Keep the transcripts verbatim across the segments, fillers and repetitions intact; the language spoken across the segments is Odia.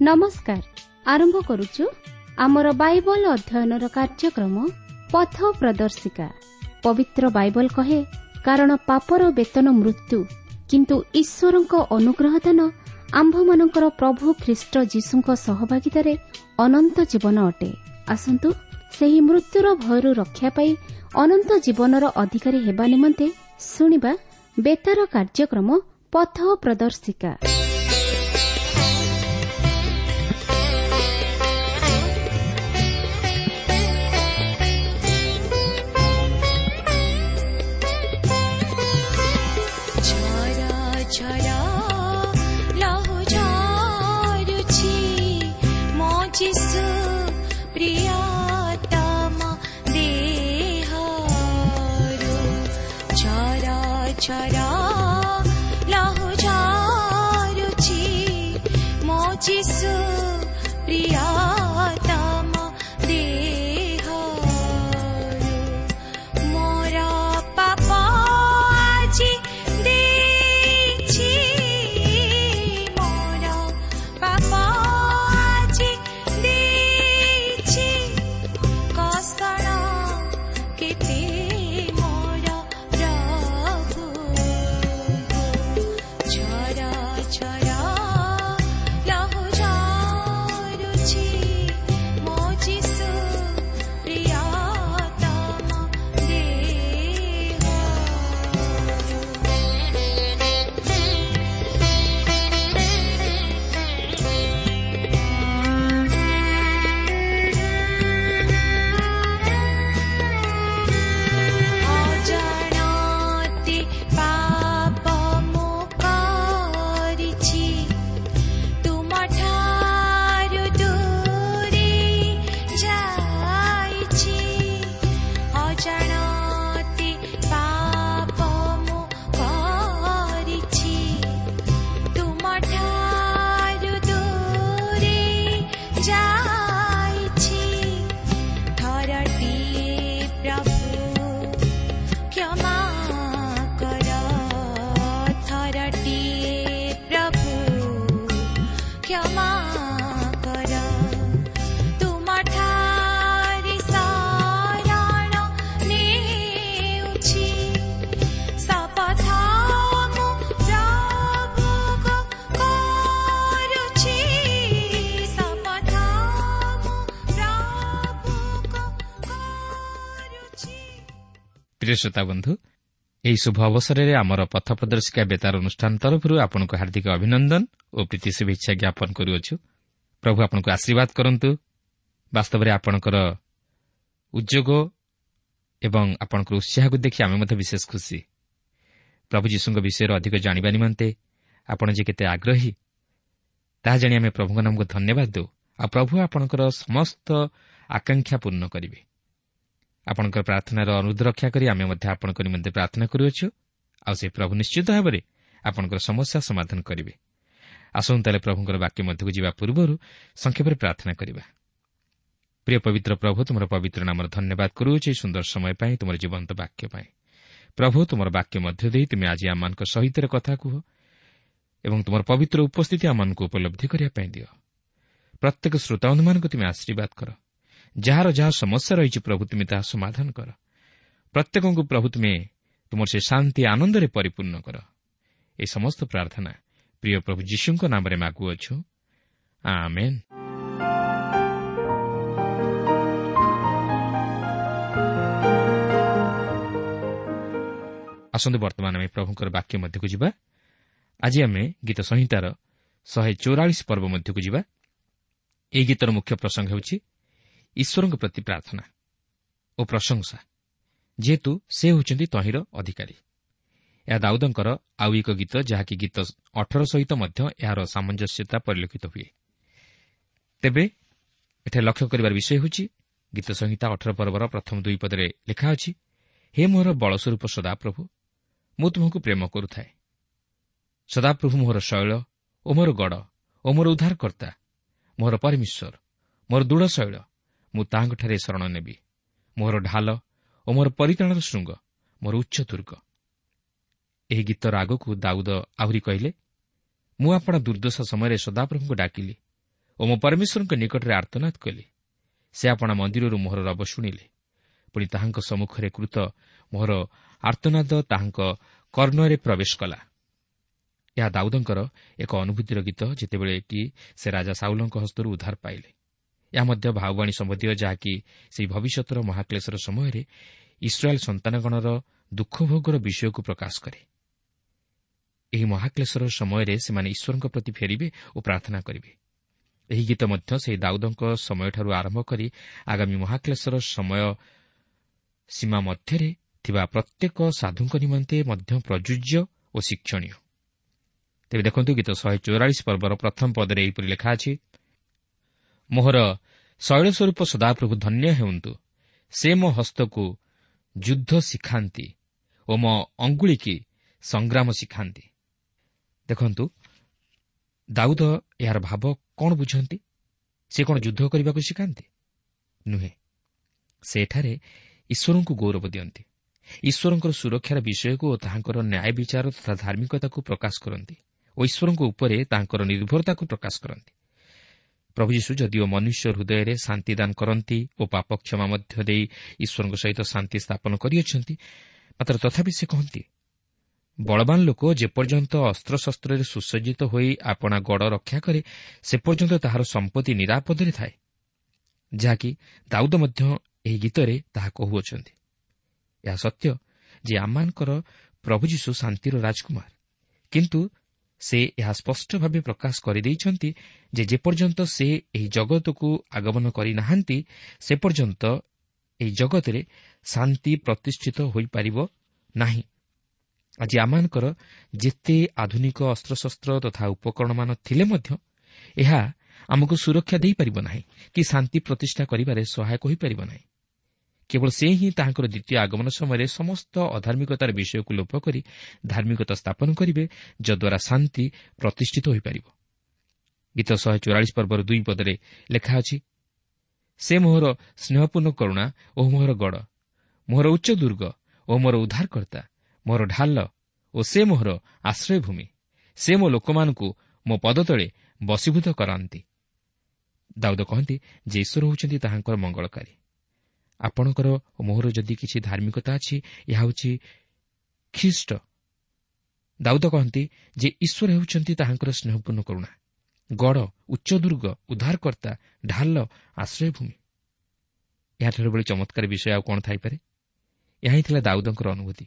ନମସ୍କାର। ଆରମ୍ଭ କରୁଛୁ ଆମର ବାଇବଲ ଅଧ୍ୟୟନର କାର୍ଯ୍ୟକ୍ରମ ପଥ ପ୍ରଦର୍ଶିକା। ପବିତ୍ର ବାଇବଲ କହେ, କାରଣ ପାପର ବେତନ ମୃତ୍ୟୁ, କିନ୍ତୁ ଈଶ୍ୱରଙ୍କ ଅନୁଗ୍ରହ ଦାନ ଆମ୍ଭମାନଙ୍କର ପ୍ରଭୁ ଖ୍ରୀଷ୍ଟ ଯୀଶୁଙ୍କ ସହଭାଗିତାରେ ଅନନ୍ତ ଜୀବନ ଅଟେ। ଆସନ୍ତୁ ସେହି ମୃତ୍ୟୁର ଭୟରୁ ରକ୍ଷା ପାଇ ଅନନ୍ତ ଜୀବନର ଅଧିକାରୀ ହେବା ନିମନ୍ତେ ଶୁଣିବା ବେତାର କାର୍ଯ୍ୟକ୍ରମ ପଥ ପ୍ରଦର୍ଶିକା। ଝରା ଲହୁ ଝରୁଛି ମୋ ଯୀଶୁ ପ୍ରିୟତମ ଦେହରୁ, ମୋର ପାପ ଆଜି ଦେଇଛି, ମୋର ପାପ ଆଜି ଦେଇଛି, କଷଣ କେତେ ମୋର ପ୍ରଭୁ। ଝରା ଝରା ଲହୁ ଝରୁଛି ମୋ ଯୀଶୁ ପ୍ରିୟତମ ଦେହରୁ। ଅଜାଣତେ ପାପ ମୁଁ କରିଛି, ତୁମଠାରୁ ଦୂରେ ଯାଇଛି। ଅଜାଣତେ ପାପ ମୁଁ କରିଛି, ତୁମଠାରୁ ଦୂରେ ଯାଇଛି। ଥରଟିଏ ପ୍ରଭୁ କ୍ଷମା କର, ଥରଟିଏ ପ୍ରଭୁ କ୍ଷମା କର, ତୁମଠାରେ ଶରଣ ନେଉଛି, ଶପଥ ମୁଁ ପ୍ରଭୁଙ୍କୁ କରୁଛି, ଶପଥ ମୁଁ ପ୍ରଭୁଙ୍କୁ କରୁଛି। ପ୍ରିୟ ଶ୍ରୋତା ବନ୍ଧୁ, ଏହି ଶୁଭ ଅବସରରେ ଆମର ପଥ ପ୍ରଦର୍ଶିକା ବେତାର ଅନୁଷ୍ଠାନ ତରଫରୁ ଆପଣଙ୍କୁ ହାର୍ଦ୍ଦିକ ଅଭିନନ୍ଦନ ଓ ପ୍ରୀତି ଶୁଭେଚ୍ଛା ଜ୍ଞାପନ କରୁଅଛୁ। ପ୍ରଭୁ ଆପଣଙ୍କୁ ଆଶୀର୍ବାଦ କରନ୍ତୁ। ବାସ୍ତବରେ ଆପଣଙ୍କର ଉଦ୍ୟୋଗ ଏବଂ ଆପଣଙ୍କର ଉତ୍ସାହକୁ ଦେଖି ଆମେ ମଧ୍ୟ ବିଶେଷ ଖୁସି। ପ୍ରଭୁ ଯୀଶୁଙ୍କ ବିଷୟରେ ଅଧିକ ଜାଣିବା ନିମନ୍ତେ ଆପଣ ଯେ କେତେ ଆଗ୍ରହୀ ତାହା ଜାଣି ଆମେ ପ୍ରଭୁଙ୍କ ନାମକୁ ଧନ୍ୟବାଦ ଦେଉ। ଆଉ ପ୍ରଭୁ ଆପଣଙ୍କର ସମସ୍ତ ଆକାଂକ୍ଷା ପୂର୍ଣ୍ଣ କରିବେ। ଆପଣଙ୍କର ପ୍ରାର୍ଥନାର ଅନୁରୋଧ ରକ୍ଷା କରି ଆମେ ମଧ୍ୟ ଆପଣଙ୍କ ନିମନ୍ତେ ପ୍ରାର୍ଥନା କରୁଅଛୁ। ଆଉ ସେ ପ୍ରଭୁ ନିଶ୍ଚିତ ଭାବରେ ଆପଣଙ୍କର ସମସ୍ୟା ସମାଧାନ କରିବେ। ଆସନ୍ତୁ ତାହେଲେ ପ୍ରଭୁଙ୍କର ବାକ୍ୟ ମଧ୍ୟକୁ ଯିବା ପୂର୍ବରୁ ସଂକ୍ଷେପରେ ପ୍ରାର୍ଥନା କରିବା। ପ୍ରିୟ ପବିତ୍ର ପ୍ରଭୁ, ତୁମର ପବିତ୍ର ନାମର ଧନ୍ୟବାଦ କରୁଅଛୁ ଏହି ସୁନ୍ଦର ସମୟ ପାଇଁ, ତୁମର ଜୀବନ୍ତ ବାକ୍ୟ ପାଇଁ। ପ୍ରଭୁ, ତୁମର ବାକ୍ୟ ମଧ୍ୟ ଦେଇ ତୁମେ ଆଜି ଆମମାନଙ୍କ ସହିତ କଥା କୁହ ଏବଂ ତୁମର ପବିତ୍ର ଉପସ୍ଥିତି ଆମମାନଙ୍କୁ ଉପଲବ୍ଧି କରିବା ପାଇଁ ଦିଅ। ପ୍ରତ୍ୟେକ ଶ୍ରୋତାବନ୍ଧୁମାନଙ୍କୁ ତୁମେ ଆଶୀର୍ବାଦ କର। ଯାହାର ଯାହା ସମସ୍ୟା ରହିଛି ପ୍ରଭୁ ତୁମେ ତାହା ସମାଧାନ କର। ପ୍ରତ୍ୟେକଙ୍କୁ ପ୍ରଭୁ ତୁମେ ତୁମର ସେ ଶାନ୍ତି ଆନନ୍ଦରେ ପରିପୂର୍ଣ୍ଣ କର। ଏହି ସମସ୍ତ ପ୍ରାର୍ଥନା ପ୍ରିୟ ପ୍ରଭୁ ଯୀଶୁଙ୍କ ନାମରେ ମାଗୁଅଛୁ, ଆମେନ୍। ଆସନ୍ତୁ ବର୍ତ୍ତମାନ ଆମେ ପ୍ରଭୁଙ୍କର ବାକ୍ୟ ମଧ୍ୟକୁ ଯିବା। ଆଜି ଆମେ ଗୀତ ସଂହିତାର ଶହେ ଚଉରାଳିଶ ପର୍ବ ମଧ୍ୟକୁ ଯିବା। ଏହି ଗୀତର ମୁଖ୍ୟ ପ୍ରସଙ୍ଗ ହେଉଛି ଈଶ୍ୱରଙ୍କ ପ୍ରତି ପ୍ରାର୍ଥନା ଓ ପ୍ରଶଂସା, ଯେହେତୁ ସେ ହେଉଛନ୍ତି ତହିଁର ଅଧିକାରୀ। ଏହା ଦାଉଦଙ୍କର ଆଉ ଏକ ଗୀତ, ଯାହାକି ଗୀତ ଅଠର ସହିତ ମଧ୍ୟ ଏହାର ସାମଞ୍ଜସ୍ୟତା ପରିଲକ୍ଷିତ ହୁଏ। ତେବେ ଏଠାରେ ଲକ୍ଷ୍ୟ କରିବାର ବିଷୟ ହେଉଛି ଗୀତ ସଂହିତା ଅଠର ପର୍ବର ପ୍ରଥମ ଦୁଇ ପଦରେ ଲେଖା ଅଛି, ହେ ମୋର ବଳସ୍ୱରୂପ ସଦାପ୍ରଭୁ, ମୁଁ ତୁମକୁ ପ୍ରେମ କରୁଥାଏ। ସଦାପ୍ରଭୁ ମୋହର ଶୈଳ ଓ ମୋର ଗଡ଼ ଓ ମୋର ଉଦ୍ଧାରକର୍ତ୍ତା, ମୋର ପରମେଶ୍ୱର, ମୋର ଦୃଢ଼ ଶୈଳ, ମୁଁ ତାହାଙ୍କଠାରେ ଶରଣ ନେବି। ମୋର ଢାଲ ଓ ମୋର ପରିତ୍ରାଣର ଶୃଙ୍ଗ, ମୋର ଉଚ୍ଚ ଦୁର୍ଗ। ଏହି ଗୀତର ଆଗକୁ ଦାଉଦ ଆହୁରି କହିଲେ, ମୁଁ ଆପଣା ଦୁର୍ଦ୍ଦଶା ସମୟରେ ସଦାପ୍ରଭୁଙ୍କୁ ଡାକିଲି ଓ ମୋ ପରମେଶ୍ୱରଙ୍କ ନିକଟରେ ଆର୍ତ୍ତନାଦ କଲି। ସେ ଆପଣା ମନ୍ଦିରରୁ ମୋହର ରବ ଶୁଣିଲେ, ପୁଣି ତାହାଙ୍କ ସମ୍ମୁଖରେ କୃତ ମୋହର ଆର୍ତ୍ତନାଦ ତାହାଙ୍କ କର୍ଣ୍ଣରେ ପ୍ରବେଶ କଲା। ଏହା ଦାଉଦଙ୍କର ଏକ ଅନୁଭୂତିର ଗୀତ, ଯେତେବେଳେ କି ସେ ରାଜା ସାଉଲଙ୍କ ହସ୍ତରୁ ଉଦ୍ଧାର ପାଇଲେ। ଏହା ମଧ୍ୟ ଭାବବାଣୀ ସମ୍ବନ୍ଧୀୟ, ଯାହାକି ସେହି ଭବିଷ୍ୟତର ମହାକ୍ଲେଶର ସମୟରେ ଇସ୍ରାଏଲ୍ ସନ୍ତାନଗଣର ଦୁଃଖଭୋଗର ବିଷୟକୁ ପ୍ରକାଶ କରେ। ଏହି ମହାକ୍ଲେଶର ସମୟରେ ସେମାନେ ଈଶ୍ୱରଙ୍କ ପ୍ରତି ଫେରିବେ ଓ ପ୍ରାର୍ଥନା କରିବେ। ଏହି ଗୀତ ମଧ୍ୟ ସେହି ଦାଉଦଙ୍କ ସମୟଠାରୁ ଆରମ୍ଭ କରି ଆଗାମୀ ମହାକ୍ଲେଶର ସମୟ ସୀମା ମଧ୍ୟରେ ଥିବା ପ୍ରତ୍ୟେକ ସାଧୁଙ୍କ ନିମନ୍ତେ ମଧ୍ୟ ପ୍ରଯୁଜ୍ୟ ଓ ଶିକ୍ଷଣୀୟ। ତେବେ ଦେଖନ୍ତୁ, ଗୀତ ଶହେ ଚଉରାଳିଶ ପର୍ବର ପ୍ରଥମ ପଦରେ ଏହିପରି ଲେଖା ଅଛି, ମୋହର ଶୈଳସ୍ୱରୂପ ସଦାପ୍ରଭୁ ଧନ୍ୟ ହେଉନ୍ତୁ, ସେ ମୋ ହସ୍ତକୁ ଯୁଦ୍ଧ ଶିଖାନ୍ତି ଓ ମୋ ଅଙ୍ଗୁଳିକି ସଂଗ୍ରାମ ଶିଖାନ୍ତି। ଦେଖନ୍ତୁ, ଦାଉଦ ଏହାର ଭାବ କ'ଣ ବୁଝନ୍ତି? ସେ କ'ଣ ଯୁଦ୍ଧ କରିବାକୁ ଶିଖାନ୍ତି? ନୁହେଁ, ସେ ଏଠାରେ ଈଶ୍ୱରଙ୍କୁ ଗୌରବ ଦିଅନ୍ତି, ଈଶ୍ୱରଙ୍କର ସୁରକ୍ଷାର ବିଷୟକୁ ଓ ତାହାଙ୍କର ନ୍ୟାୟ ବିଚାର ତଥା ଧାର୍ମିକତାକୁ ପ୍ରକାଶ କରନ୍ତି ଓ ଈଶ୍ୱରଙ୍କ ଉପରେ ତାଙ୍କର ନିର୍ଭରତାକୁ ପ୍ରକାଶ କରନ୍ତି। ପ୍ରଭୁ ଯୀଶୁ ଯଦିଓ ମନୁଷ୍ୟ ହୃଦୟରେ ଶାନ୍ତି ଦାନ କରନ୍ତି ଓ ପାପ କ୍ଷମା ମଧ୍ୟ ଦେଇ ଈଶ୍ୱରଙ୍କ ସହିତ ଶାନ୍ତି ସ୍ଥାପନ କରିଅଛନ୍ତି, ମାତ୍ର ତଥାପି ସେ କହନ୍ତି, ବଳବାନ ଲୋକ ଯେପର୍ଯ୍ୟନ୍ତ ଅସ୍ତ୍ରଶସ୍ତ୍ରରେ ସୁସଜ୍ଜିତ ହୋଇ ଆପଣା ଗଡ଼ ରକ୍ଷା କରେ, ସେ ପର୍ଯ୍ୟନ୍ତ ତାହାର ସମ୍ପତ୍ତି ନିରାପଦରେ ଥାଏ, ଯାହାକି ଦାଉଦ ମଧ୍ୟ ଏହି ଗୀତରେ ତାହା କହୁଅଛନ୍ତି। ଏହା ସତ୍ୟ ଯେ ଆମମାନଙ୍କର ପ୍ରଭୁ ଯୀଶୁ ଶାନ୍ତିର ରାଜକୁମାର, କିନ୍ତୁ ସେ ଏହା ସ୍ପଷ୍ଟ ଭାବେ ପ୍ରକାଶ କରିଦେଇଛନ୍ତି ଯେ ଯେପର୍ଯ୍ୟନ୍ତ ସେ ଏହି ଜଗତକୁ ଆଗମନ କରିନାହାନ୍ତି, ସେ ପର୍ଯ୍ୟନ୍ତ ଏହି ଜଗତରେ ଶାନ୍ତି ପ୍ରତିଷ୍ଠିତ ହୋଇପାରିବ ନାହିଁ। ଆଜି ଆମମାନଙ୍କର ଯେତେ ଆଧୁନିକ ଅସ୍ତ୍ରଶସ୍ତ୍ର ତଥା ଉପକରଣମାନ ଥିଲେ ମଧ୍ୟ ଏହା ଆମକୁ ସୁରକ୍ଷା ଦେଇପାରିବ ନାହିଁ କି ଶାନ୍ତି ପ୍ରତିଷ୍ଠା କରିବାରେ ସହାୟକ ହୋଇପାରିବ ନାହିଁ। କେବଳ ସେ ହିଁ ତାହାଙ୍କର ଦ୍ୱିତୀୟ ଆଗମନ ସମୟରେ ସମସ୍ତ ଅଧାର୍ମିକତାର ବିଷୟକୁ ଲୋପ କରି ଧାର୍ମିକତା ସ୍ଥାପନ କରିବେ, ଯଦ୍ୱାରା ଶାନ୍ତି ପ୍ରତିଷ୍ଠିତ ହୋଇପାରିବ। ଗୀତ ଶହେ ଚଉରାଳିଶ ପର୍ବର ଦୁଇ ପଦରେ ଲେଖା ଅଛି, ସେ ମୋହର ସ୍ନେହପୂର୍ଣ୍ଣ କରୁଣା ଓ ମୋହର ଗଡ଼, ମୋହର ଉଚ୍ଚ ଦୁର୍ଗ ଓ ମୋର ଉଦ୍ଧାରକର୍ତ୍ତା, ମୋର ଢାଲ ଓ ସେ ମୋହର ଆଶ୍ରୟଭୂମି, ସେ ମୋ ଲୋକମାନଙ୍କୁ ମୋ ପଦତଳେ ବଶୀଭୂତ କରାନ୍ତି। ଦାଉଦ କହନ୍ତି ଯେ ଈଶ୍ୱର ହେଉଛନ୍ତି ତାହାଙ୍କର ମଙ୍ଗଳକାରୀ। ଆପଣଙ୍କର ଓ ମୋହର ଯଦି କିଛି ଧାର୍ମିକତା ଅଛି, ଏହା ହେଉଛି ଖ୍ରୀଷ୍ଟ। ଦାଉଦ କହନ୍ତି ଯେ ଈଶ୍ୱର ହେଉଛନ୍ତି ତାହାଙ୍କର ସ୍ନେହପୂର୍ଣ୍ଣ କରୁଣା, ଗଡ଼, ଉଚ୍ଚ ଦୁର୍ଗ, ଉଦ୍ଧାରକର୍ତ୍ତା, ଢାଲ, ଆଶ୍ରୟଭୂମି। ଏହାଠାରୁ ଭଳି ଚମତ୍କାର ବିଷୟ ଆଉ କ'ଣ ଥାଇପାରେ? ଏହା ହିଁ ଥିଲା ଦାଉଦଙ୍କର ଅନୁଭୂତି।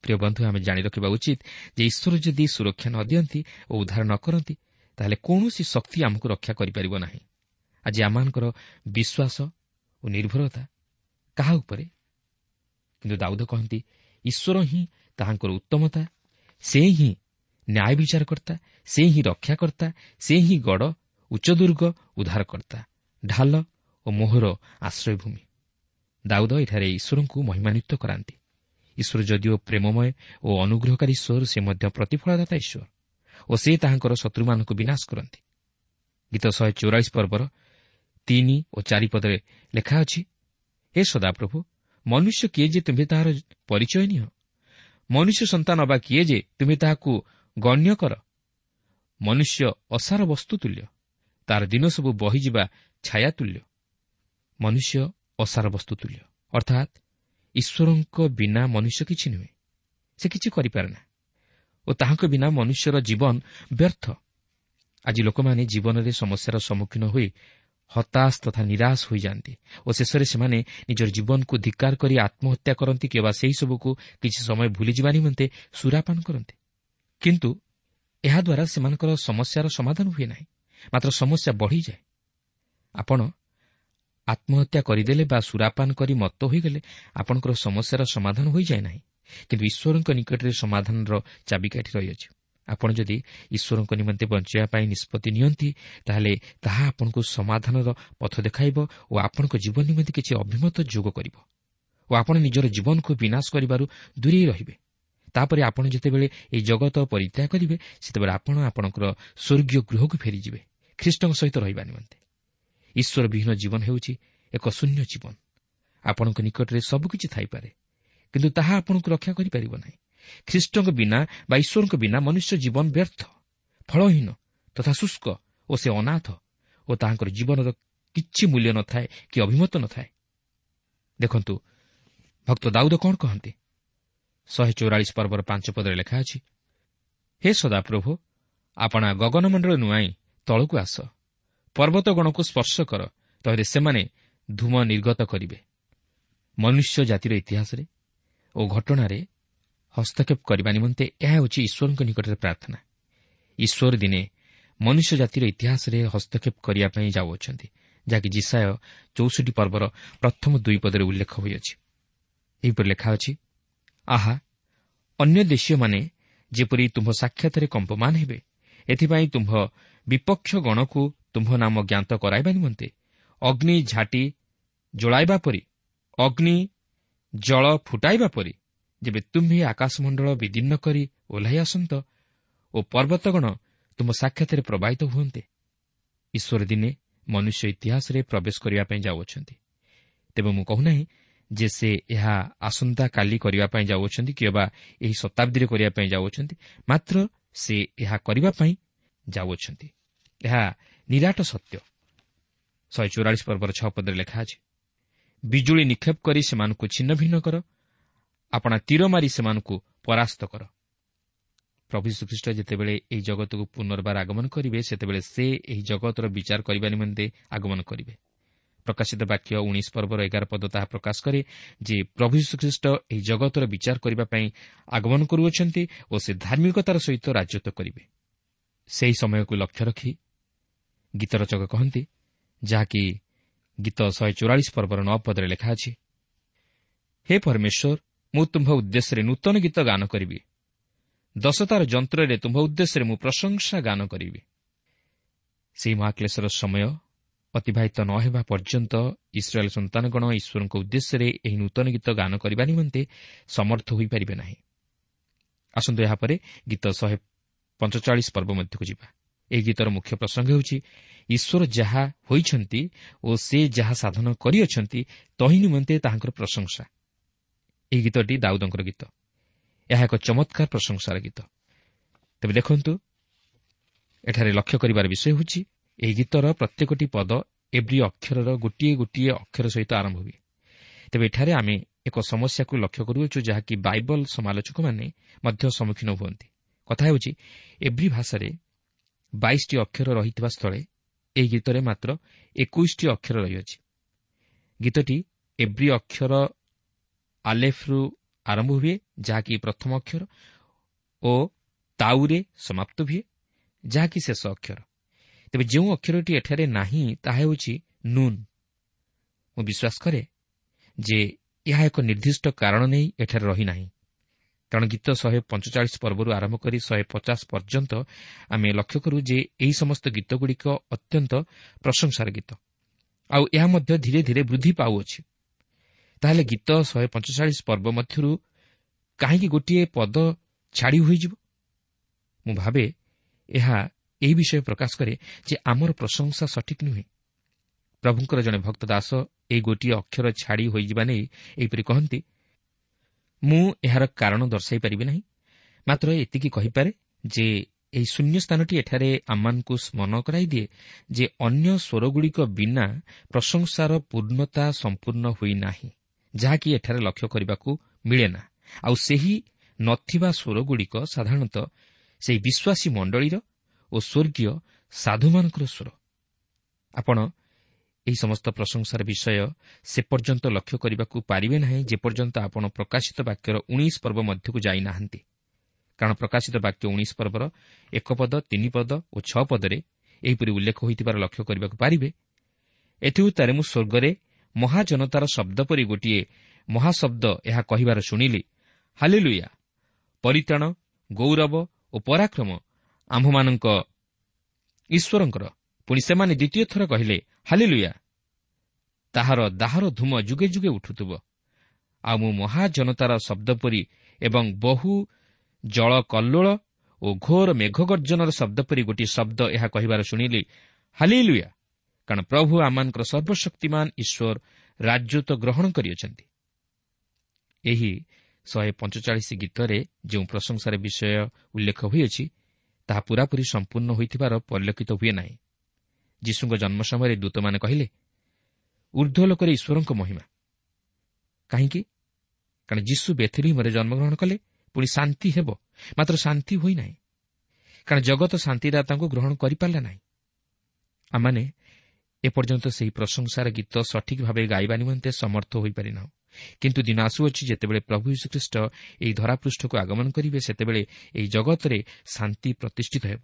ପ୍ରିୟ ବନ୍ଧୁ, ଆମେ ଜାଣି ରଖିବା ଉଚିତ ଯେ ଈଶ୍ୱର ଯଦି ସୁରକ୍ଷା ନ ଦିଅନ୍ତି ଓ ଉଦ୍ଧାର ନ କରନ୍ତି, ତାହେଲେ କୌଣସି ଶକ୍ତି ଆମକୁ ରକ୍ଷା କରିପାରିବ ନାହିଁ। ଆଜି ଆମମାନଙ୍କର ବିଶ୍ୱାସ ଓ ନିର୍ଭରତା କାହା ଉପରେ? କିନ୍ତୁ ଦାଉଦ କହନ୍ତି, ଈଶ୍ୱର ହିଁ ତାହାଙ୍କର ଉତ୍ତମତା, ସେ ହିଁ ନ୍ୟାୟ ବିଚାରକର୍ତ୍ତା, ସେ ହିଁ ରକ୍ଷାକର୍ତ୍ତା, ସେ ହିଁ ଗଡ଼, ଉଚ୍ଚଦୁର୍ଗ, ଉଦ୍ଧାରକର୍ତ୍ତା, ଢାଲ ଓ ମୋହର ଆଶ୍ରୟଭୂମି। ଦାଉଦ ଏଠାରେ ଈଶ୍ୱରଙ୍କୁ ମହିମାନ୍ୱିତ କରାନ୍ତି। ଈଶ୍ୱର ଯଦିଓ ପ୍ରେମମୟ ଓ ଅନୁଗ୍ରହକାରୀ ଈଶ୍ୱର, ସେ ମଧ୍ୟ ପ୍ରତିଫଳଦାତା ଈଶ୍ୱର ଓ ସେ ତାହାଙ୍କର ଶତ୍ରୁମାନଙ୍କୁ ବିନାଶ କରନ୍ତି। ଗୀତ ଶହେ ଚଉରାଳିଶ ପର୍ବର ତିନି ଓ ଚାରି ପଦରେ ଲେଖା ଅଛି, ହେ ସଦାପ୍ରଭୁ, ମନୁଷ୍ୟ କିଏ ଯେ ତୁମ୍ଭେ ତାହାର ପରିଚୟ ନିଅ? ମନୁଷ୍ୟ ସନ୍ତାନ ଅବା କିଏ ଯେ ତୁମ୍ଭେ ତାହାକୁ ଗଣ୍ୟ କର? ମନୁଷ୍ୟ ଅସାର ବସ୍ତୁ ତୁଲ୍ୟ, ତାର ଦିନ ସବୁ ବହିଯିବା ଛାୟା ତୁଲ୍ୟ। ମନୁଷ୍ୟ ଅସାର ବସ୍ତୁ ତୁଲ୍ୟ, ଅର୍ଥାତ୍ ଈଶ୍ୱରଙ୍କ ବିନା ମନୁଷ୍ୟ କିଛି ନୁହେଁ, ସେ କିଛି କରିପାରେ ନା ଓ ତାହାଙ୍କ ବିନା ମନୁଷ୍ୟର ଜୀବନ ବ୍ୟର୍ଥ। ଆଜି ଲୋକମାନେ ଜୀବନରେ ସମସ୍ୟାର ସମ୍ମୁଖୀନ ହୋଇ ହତାଶ ତଥା ନିରାଶ ହୋଇଯାଆନ୍ତି ଓ ଶେଷରେ ସେମାନେ ନିଜର ଜୀବନକୁ ଧିକ୍କାର କରି ଆତ୍ମହତ୍ୟା କରନ୍ତି କିମ୍ବା ସେହିସବୁକୁ କିଛି ସମୟ ଭୁଲିଯିବା ନିମନ୍ତେ ସୁରାପାନ କରନ୍ତି। କିନ୍ତୁ ଏହାଦ୍ୱାରା ସେମାନଙ୍କର ସମସ୍ୟାର ସମାଧାନ ହୁଏ ନାହିଁ, ମାତ୍ର ସମସ୍ୟା ବଢ଼ିଯାଏ। ଆପଣ ଆତ୍ମହତ୍ୟା କରିଦେଲେ ବା ସୁରାପାନ କରି ମତ୍ତ ହୋଇଗଲେ ଆପଣଙ୍କର ସମସ୍ୟାର ସମାଧାନ ହୋଇଯାଏ ନାହିଁ, କିନ୍ତୁ ଈଶ୍ୱରଙ୍କ ନିକଟରେ ସମାଧାନର ଚାବିକାଠି ରହିଅଛି। ଆପଣ ଯଦି ଈଶ୍ୱରଙ୍କ ନିମନ୍ତେ ବଞ୍ଚିବା ପାଇଁ ନିଷ୍ପତ୍ତି ନିଅନ୍ତି, ତାହେଲେ ତାହା ଆପଣଙ୍କୁ ସମାଧାନର ପଥ ଦେଖାଇବ ଓ ଆପଣଙ୍କ ଜୀବନ ନିମନ୍ତେ କିଛି ଅଭିମତ ଯୋଗ କରିବ ଓ ଆପଣ ନିଜର ଜୀବନକୁ ବିନାଶ କରିବାରୁ ଦୂରେଇ ରହିବେ। ତାପରେ ଆପଣ ଯେତେବେଳେ ଏହି ଜଗତ ପରିତ୍ୟାଗ କରିବେ, ସେତେବେଳେ ଆପଣ ଆପଣଙ୍କର ସ୍ୱର୍ଗୀୟ ଗୃହକୁ ଫେରିଯିବେ ଖ୍ରୀଷ୍ଟଙ୍କ ସହିତ ରହିବା ନିମନ୍ତେ। ଈଶ୍ୱର ବିହୀନ ଜୀବନ ହେଉଛି ଏକ ଶୂନ୍ୟ ଜୀବନ। ଆପଣଙ୍କ ନିକଟରେ ସବୁକିଛି ଥାଇପାରେ, କିନ୍ତୁ ତାହା ଆପଣଙ୍କୁ ରକ୍ଷା କରିପାରିବ ନାହିଁ। ଖ୍ରୀଷ୍ଟଙ୍କ ବିନା ବା ଈଶ୍ୱରଙ୍କ ବିନା ମନୁଷ୍ୟ ଜୀବନ ବ୍ୟର୍ଥ, ଫଳହୀନ ତଥା ଶୁଷ୍କ ଓ ସେ ଅନାଥ ଓ ତାହାଙ୍କର ଜୀବନର କିଛି ମୂଲ୍ୟ ନଥାଏ କି ଅଭିମତ ନଥାଏ। ଦେଖନ୍ତୁ ଭକ୍ତ ଦାଉଦ କ'ଣ କହନ୍ତି। ଶହେ ଚଉରାଳିଶ ପର୍ବର ପାଞ୍ଚ ପଦରେ ଲେଖା ଅଛି, ହେ ସଦାପ୍ରଭୁ, ଆପଣା ଗଗନମଣ୍ଡଳ ନୁଆଇଁ ତଳକୁ ଆସ, ପର୍ବତଗଣକୁ ସ୍ପର୍ଶ କର, ତହିଁରେ ସେମାନେ ଧୂମ ନିର୍ଗତ କରିବେ। ମନୁଷ୍ୟ ଜାତିର ଇତିହାସରେ ଓ ଘଟଣାରେ ହସ୍ତକ୍ଷେପ କରିବା ନିମନ୍ତେ ଏହା ହେଉଛି ଈଶ୍ୱରଙ୍କ ନିକଟରେ ପ୍ରାର୍ଥନା। ଈଶ୍ୱର ଦିନେ ମନୁଷ୍ୟ ଜାତିର ଇତିହାସରେ ହସ୍ତକ୍ଷେପ କରିବା ପାଇଁ ଯାଉଅଛନ୍ତି, ଯାହାକି ଯିଶାଇୟ ଚଉଷଠି ପର୍ବର ପ୍ରଥମ ଦୁଇ ପଦରେ ଉଲ୍ଲେଖ ହୋଇଅଛି। ଏହିପରି ଲେଖା ଅଛି, ଆହା, ଅନ୍ୟ ଦେଶୀୟମାନେ ଯେପରି ତୁମ୍ଭ ସାକ୍ଷାତରେ କମ୍ପମାନ ହେବେ, ଏଥିପାଇଁ ତୁମ୍ଭ ବିପକ୍ଷ ଗଣକୁ ତୁମ୍ଭ ନାମ ଜ୍ଞାତ କରାଇବା ନିମନ୍ତେ ଅଗ୍ନି ଝାଟି ଜଳାଇବା ପରି, ଅଗ୍ନି ଜଳ ଫୁଟାଇବା ପରି ଯେବେ ତୁମ୍ଭେ ଆକାଶମଣ୍ଡଳ ବିଦୀର୍ଣ୍ଣ କରି ଓହ୍ଲାଇ ଆସନ୍ତ ଓ ପର୍ବତଗଣ ତୁମ ସାକ୍ଷାତରେ ପ୍ରବାହିତ ହୁଅନ୍ତେ। ଈଶ୍ୱର ଦିନେ ମନୁଷ୍ୟ ଇତିହାସରେ ପ୍ରବେଶ କରିବା ପାଇଁ ଯାଉଅଛନ୍ତି। ତେବେ ମୁଁ କହୁନାହିଁ ଯେ ସେ ଏହା ଆସନ୍ତାକାଲି କରିବା ପାଇଁ ଯାଉଅଛନ୍ତି କିମ୍ବା ଏହି ଶତାବ୍ଦୀରେ କରିବା ପାଇଁ ଯାଉଅଛନ୍ତି, ମାତ୍ର ସେ ଏହା କରିବା ପାଇଁ ଯାଉଅଛନ୍ତି। ଏହା ନିରାଟ ସତ୍ୟ। ଶହେ ଚଉରାଳିଶ ପର୍ବର ଛଅ ପଦରେ ଲେଖା ଅଛି, ବିଜୁଳି ନିକ୍ଷେପ କରି ସେମାନଙ୍କୁ ଛିନ୍ନ ଭିନ୍ନ କର, ଆପଣା ତୀର ମାରି ସେମାନଙ୍କୁ ପରାସ୍ତ କର। ପ୍ରଭୁ ଯୀଶୁଖ୍ରୀଷ୍ଟ ଯେତେବେଳେ ଏହି ଜଗତକୁ ପୁନର୍ବାର ଆଗମନ କରିବେ, ସେତେବେଳେ ସେ ଏହି ଜଗତର ବିଚାର କରିବା ନିମନ୍ତେ ଆଗମନ କରିବେ। ପ୍ରକାଶିତ ବାକ୍ୟ ଉଣେଇଶ ପର୍ବର ଏଗାର ପଦ ତାହା ପ୍ରକାଶ କରେ ଯେ ପ୍ରଭୁ ଯୀଶୁଖ୍ରୀଷ୍ଟ ଏହି ଜଗତର ବିଚାର କରିବା ପାଇଁ ଆଗମନ କରୁଅଛନ୍ତି ଓ ସେ ଧାର୍ମିକତାର ସହିତ ରାଜତ୍ୱ କରିବେ। ସେହି ସମୟକୁ ଲକ୍ଷ୍ୟ ରଖି ଗୀତ ରଚକ କହନ୍ତି, ଯାହାକି ଗୀତ ଶହେ ଚଉରାଳିଶ ପର୍ବର ନଅ ପଦରେ ଲେଖା ଅଛି, ହେ ପରମେଶ୍ୱର, ମୁଁ ତୁମ୍ଭ ଉଦ୍ଦେଶ୍ୟରେ ନୂତନ ଗୀତ ଗାନ କରିବି, ଦଶତାର ଯନ୍ତ୍ରରେ ତୁମ୍ଭ ଉଦ୍ଦେଶ୍ୟରେ ମୁଁ ପ୍ରଶଂସା ଗାନ କରିବି। ସେହି ମହାକ୍ଲେଶର ସମୟ ଅତିବାହିତ ନ ହେବା ପର୍ଯ୍ୟନ୍ତ ଇସ୍ରାଏଲ ସନ୍ତାନଗଣ ଈଶ୍ୱରଙ୍କ ଉଦ୍ଦେଶ୍ୟରେ ଏହି ନୂତନ ଗୀତ ଗାନ କରିବା ନିମନ୍ତେ ସମର୍ଥ ହୋଇପାରିବେ ନାହିଁ। ଆସନ୍ତୁ ଏହାପରେ ଗୀତ ଶହେ ପଞ୍ଚଚାଳିଶ ପର୍ବ ମଧ୍ୟକୁ ଯିବା। ଏହି ଗୀତର ମୁଖ୍ୟ ପ୍ରସଙ୍ଗ ହେଉଛି ଈଶ୍ୱର ଯାହା ହୋଇଛନ୍ତି ଓ ସେ ଯାହା ସାଧନ କରିଅଛନ୍ତି ତହିଁ ନିମନ୍ତେ ତାହାଙ୍କର ପ୍ରଶଂସା। ଏହି ଗୀତଟି ଦାଉଦଙ୍କର ଗୀତ। ଏହା ଏକ ଚମତ୍କାର ପ୍ରଶଂସାର ଗୀତ। ତେବେ ଦେଖନ୍ତୁ, ଏଠାରେ ଲକ୍ଷ୍ୟ କରିବାର ବିଷୟ ହେଉଛି ଏହି ଗୀତର ପ୍ରତ୍ୟେକଟି ପଦ ଏବ୍ରି ଅକ୍ଷରର ଗୋଟିଏ ଗୋଟିଏ ଅକ୍ଷର ସହିତ ଆରମ୍ଭ ହୁଏ। ତେବେ ଏଠାରେ ଆମେ ଏକ ସମସ୍ୟାକୁ ଲକ୍ଷ୍ୟ କରୁଅଛୁ, ଯାହାକି ବାଇବଲ ସମାଲୋଚକମାନେ ମଧ୍ୟ ସମ୍ମୁଖୀନ ହୁଅନ୍ତି। କଥା ହେଉଛି, ଏବ୍ରି ଭାଷାରେ ବାଇଶଟି ଅକ୍ଷର ରହିଥିବା ସ୍ଥଳେ ଏହି ଗୀତରେ ମାତ୍ର ଏକୋଇଶଟି ଅକ୍ଷର ରହିଅଛି। ଗୀତଟି ଏବ୍ରି ଅକ୍ଷର ଆଲେଫରୁ ଆରମ୍ଭ ହୁଏ, ଯାହାକି ପ୍ରଥମ ଅକ୍ଷର, ଓ ତାଉରେ ସମାପ୍ତ ହୁଏ, ଯାହାକି ଶେଷ ଅକ୍ଷର। ତେବେ ଯେଉଁ ଅକ୍ଷରଟି ଏଠାରେ ନାହିଁ ତାହା ହେଉଛି ନୁନ୍। ମୁଁ ବିଶ୍ୱାସ କରେ ଯେ ଏହା ଏକ ନିର୍ଦ୍ଦିଷ୍ଟ କାରଣ ନେଇ ଏଠାରେ ରହିନାହିଁ, କାରଣ ଗୀତ ଶହେ ପଞ୍ଚଚାଳିଶ ପର୍ବରୁ ଆରମ୍ଭ କରି ଶହେ ପଚାଶ ପର୍ଯ୍ୟନ୍ତ ଆମେ ଲକ୍ଷ୍ୟ କରୁ ଯେ ଏହି ସମସ୍ତ ଗୀତଗୁଡ଼ିକ ଅତ୍ୟନ୍ତ ପ୍ରଶଂସାର ଗୀତ, ଆଉ ଏହା ମଧ୍ୟ ଧୀରେ ଧୀରେ ବୃଦ୍ଧି ପାଉଅଛି। ତାହେଲେ ଗୀତ ଶହେ ପଞ୍ଚଚାଳିଶ ପର୍ବ ମଧ୍ୟରୁ କାହିଁକି ଗୋଟିଏ ପଦ ଛାଡ଼ି ହୋଇଯିବ? ମୁଁ ଭାବେ ଏହା ଏହି ବିଷୟ ପ୍ରକାଶ କରେ ଯେ ଆମର ପ୍ରଶଂସା ସଠିକ୍ ନୁହେଁ। ପ୍ରଭୁଙ୍କର ଜଣେ ଭକ୍ତ ଦାସ ଏହି ଗୋଟିଏ ଅକ୍ଷର ଛାଡ଼ି ହୋଇଯିବା ନେଇ ଏହିପରି କହନ୍ତି, ମୁଁ ଏହାର କାରଣ ଦର୍ଶାଇ ପାରିବି ନାହିଁ, ମାତ୍ର ଏତିକି କହିପାରେ ଯେ ଏହି ଶୂନ୍ୟ ସ୍ଥାନଟି ଏଠାରେ ଆମମାନଙ୍କୁ ସ୍ମରଣ କରାଇଦିଏ ଯେ ଅନ୍ୟ ସ୍ୱରଗୁଡ଼ିକ ବିନା ପ୍ରଶଂସାର ପୂର୍ଣ୍ଣତା ସମ୍ପୂର୍ଣ୍ଣ ହୋଇନାହିଁ, ଯାହାକି ଏଠାରେ ଲକ୍ଷ୍ୟ କରିବାକୁ ମିଳେ ନା। ଆଉ ସେହି ନଥିବା ସ୍ୱରଗୁଡ଼ିକ ସାଧାରଣତଃ ସେହି ବିଶ୍ୱାସୀ ମଣ୍ଡଳୀର ଓ ସ୍ୱର୍ଗୀୟ ସାଧୁମାନଙ୍କର ସ୍ୱର। ଆପଣ ଏହି ସମସ୍ତ ପ୍ରଶଂସାର ବିଷୟ ସେ ପର୍ଯ୍ୟନ୍ତ ଲକ୍ଷ୍ୟ କରିବାକୁ ପାରିବେ ନାହିଁ ଯେପର୍ଯ୍ୟନ୍ତ ଆପଣ ପ୍ରକାଶିତ ବାକ୍ୟର ଉଣେଇଶ ପର୍ବ ମଧ୍ୟକୁ ଯାଇନାହାନ୍ତି। କାରଣ ପ୍ରକାଶିତ ବାକ୍ୟ ଉଣେଇଶ ପର୍ବର ଏକ ପଦ, ତିନି ପଦ ଓ ଛଅ ପଦରେ ଏହିପରି ଉଲ୍ଲେଖ ହୋଇଥିବାର ଲକ୍ଷ୍ୟ କରିବାକୁ ପାରିବେ, ଏଥିଉତ୍ତାରେ ମୁଁ ସ୍ୱର୍ଗରେ ମହାଜନତାର ଶବ୍ଦ ପରି ଗୋଟିଏ ମହାଶବ୍ଦ ଏହା କହିବାର ଶୁଣିଲି, ହାଲେଲୁୟା, ପରିତ୍ରାଣ, ଗୌରବ ଓ ପରାକ୍ରମ ଆମ୍ଭମାନଙ୍କ ଈଶ୍ୱରଙ୍କର। ପୁଣି ସେମାନେ ଦ୍ୱିତୀୟ ଥର କହିଲେ, ହାଲେଲୁୟା, ତାହାର ଦାହର ଧୂମ ଯୁଗେ ଯୁଗେ ଉଠୁଥିବ। ଆଉ ମୁଁ ମହାଜନତାର ଶବ୍ଦ ପରି ଏବଂ ବହୁ ଜଳ କଲ୍ଲୋଳ ଓ ଘୋର ମେଘଗର୍ଜନର ଶବ୍ଦ ପରି ଗୋଟିଏ ଶବ୍ଦ ଏହା କହିବାର ଶୁଣିଲି, ହାଲେଲୁୟା, କାରଣ ପ୍ରଭୁ ଆମମାନଙ୍କର ସର୍ବଶକ୍ତିମାନ ଈଶ୍ୱର ରାଜତ୍ୱ ଗ୍ରହଣ କରିଅଛନ୍ତି। ଏହି ଶହେ ପଞ୍ଚଚାଳିଶ ଗୀତରେ ଯେଉଁ ପ୍ରଶଂସାର ବିଷୟ ଉଲ୍ଲେଖ ହୋଇଅଛି ତାହା ପୂରାପୂରି ସମ୍ପୂର୍ଣ୍ଣ ହୋଇଥିବାର ପରିଲକ୍ଷିତ ହୁଏ ନାହିଁ। ଯୀଶୁଙ୍କ ଜନ୍ମ ସମୟରେ ଦୂତମାନେ କହିଲେ, ଉର୍ଦ୍ଧ୍ୱ ଲୋକରେ ଈଶ୍ୱରଙ୍କ ମହିମା। କାହିଁକି? କାରଣ ଯୀଶୁ ବେଥଲିହିମରେ ଜନ୍ମଗ୍ରହଣ କଲେ ପୁଣି ଶାନ୍ତି ହେବ, ମାତ୍ର ଶାନ୍ତି ହୋଇନାହିଁ, କାରଣ ଜଗତ ଶାନ୍ତିଦାତାଙ୍କୁ ଗ୍ରହଣ କରିପାରିଲା ନାହିଁ। ଆମମାନେ ଏପର୍ଯ୍ୟନ୍ତ ସେହି ପ୍ରଶଂସାର ଗୀତ ସଠିକ୍ ଭାବେ ଗାଇବା ନିମନ୍ତେ ସମର୍ଥ ହୋଇପାରିନାହୁଁ। କିନ୍ତୁ ଦିନ ଆସୁଅଛି ଯେତେବେଳେ ପ୍ରଭୁ ଯୀଶୁଖ୍ରୀଷ୍ଟ ଏହି ଧରାପୃଷ୍ଠକୁ ଆଗମନ କରିବେ, ସେତେବେଳେ ଏହି ଜଗତରେ ଶାନ୍ତି ପ୍ରତିଷ୍ଠିତ ହେବ।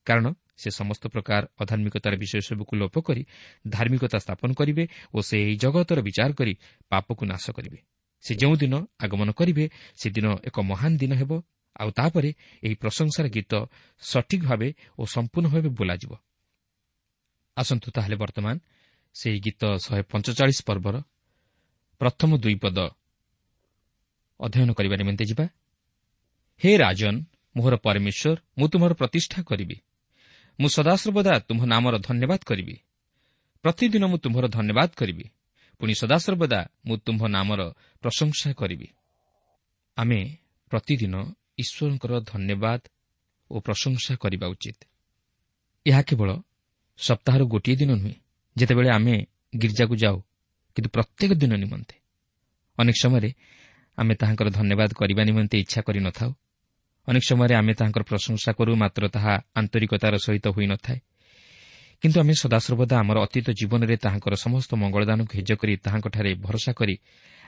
କାରଣ ସେ ସମସ୍ତ ପ୍ରକାର ଅଧାର୍ମିକତାର ବିଷୟ ସବୁକୁ ଲୋପ କରି ଧାର୍ମିକତା ସ୍ଥାପନ କରିବେ ଓ ସେ ଏହି ଜଗତର ବିଚାର କରି ପାପକୁ ନାଶ କରିବେ। ସେ ଯେଉଁଦିନ ଆଗମନ କରିବେ ସେଦିନ ଏକ ମହାନ ଦିନ ହେବ। ଆଉ ତାପରେ ଏହି ପ୍ରଶଂସାର ଗୀତ ସଠିକ୍ ଭାବେ ଓ ସମ୍ପୂର୍ଣ୍ଣ ଭାବେ ବୋଲାଯିବ। ଆସନ୍ତୁ ତାହେଲେ ବର୍ତ୍ତମାନ ସେହି ଗୀତ ଶହେ ପଞ୍ଚଚାଳିଶ ପର୍ବର ପ୍ରଥମ ଦୁଇ ପଦ ଅଧ୍ୟୟନ କରିବା ନିମନ୍ତେ ଯିବା। ହେ ରାଜନ, ମୋହର ପରମେଶ୍ୱର, ମୁଁ ତୁମର ପ୍ରତିଷ୍ଠା କରିବି। ମୁଁ ସଦାସର୍ବଦା ତୁମ୍ଭ ନାମର ଧନ୍ୟବାଦ କରିବି। ପ୍ରତିଦିନ ମୁଁ ତୁମ୍ଭର ଧନ୍ୟବାଦ କରିବି, ପୁଣି ସଦାସର୍ବଦା ମୁଁ ତୁମ୍ଭ ନାମର ପ୍ରଶଂସା କରିବି। ଆମେ ପ୍ରତିଦିନ ଈଶ୍ୱରଙ୍କର ଧନ୍ୟବାଦ ଓ ପ୍ରଶଂସା କରିବା ଉଚିତ। ଏହା କେବଳ ସପ୍ତାହର ଗୋଟିଏ ଦିନ ନୁହେଁ ଯେତେବେଳେ ଆମେ ଗିର୍ଜାକୁ ଯାଉ, କିନ୍ତୁ ପ୍ରତ୍ୟେକ ଦିନ ନିମନ୍ତେ। ଅନେକ ସମୟରେ ଆମେ ତାହାଙ୍କର ଧନ୍ୟବାଦ କରିବା ନିମନ୍ତେ ଇଚ୍ଛା କରିନଥାଉ। ଅନେକ ସମୟରେ ଆମେ ତାହାଙ୍କର ପ୍ରଶଂସା କରୁ, ମାତ୍ର ତାହା ଆନ୍ତରିକତାର ସହିତ ହୋଇନଥାଏ। କିନ୍ତୁ ଆମେ ସଦାସର୍ବଦା ଆମର ଅତୀତ ଜୀବନରେ ତାହାଙ୍କର ସମସ୍ତ ମଙ୍ଗଳଦାନକୁ ହେଜ କରି ତାହାଙ୍କଠାରେ ଭରସା କରି